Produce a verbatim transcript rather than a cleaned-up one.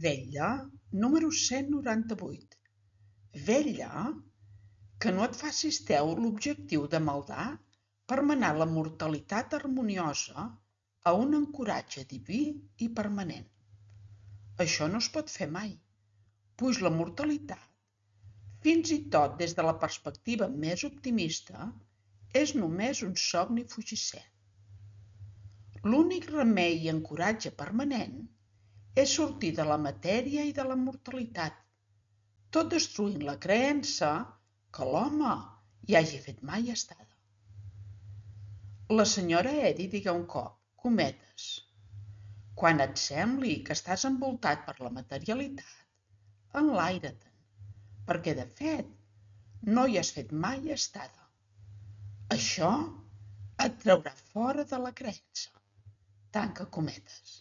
Vetlla número cent noranta-vuit. Vetlla que no et facis teu l'objectiu de maldar per menar la mortalitat harmoniosa a un ancoratge diví i permanent. Això no es pot fer mai, puix la mortalitat, fins i tot des de la perspectiva més optimista, és només un somni fugisser. L'únic remei i ancoratge permanent és sortir de la matèria i de la mortalitat, tot destruint la creença que l'home hi hagi fet mai estada. La senyora Eddy digué un cop, cometes, quan et sembli que estàs envoltat per la materialitat, enlaire-te'n, perquè de fet no hi has fet mai estada. Això et traurà fora de la creença. Tanca cometes.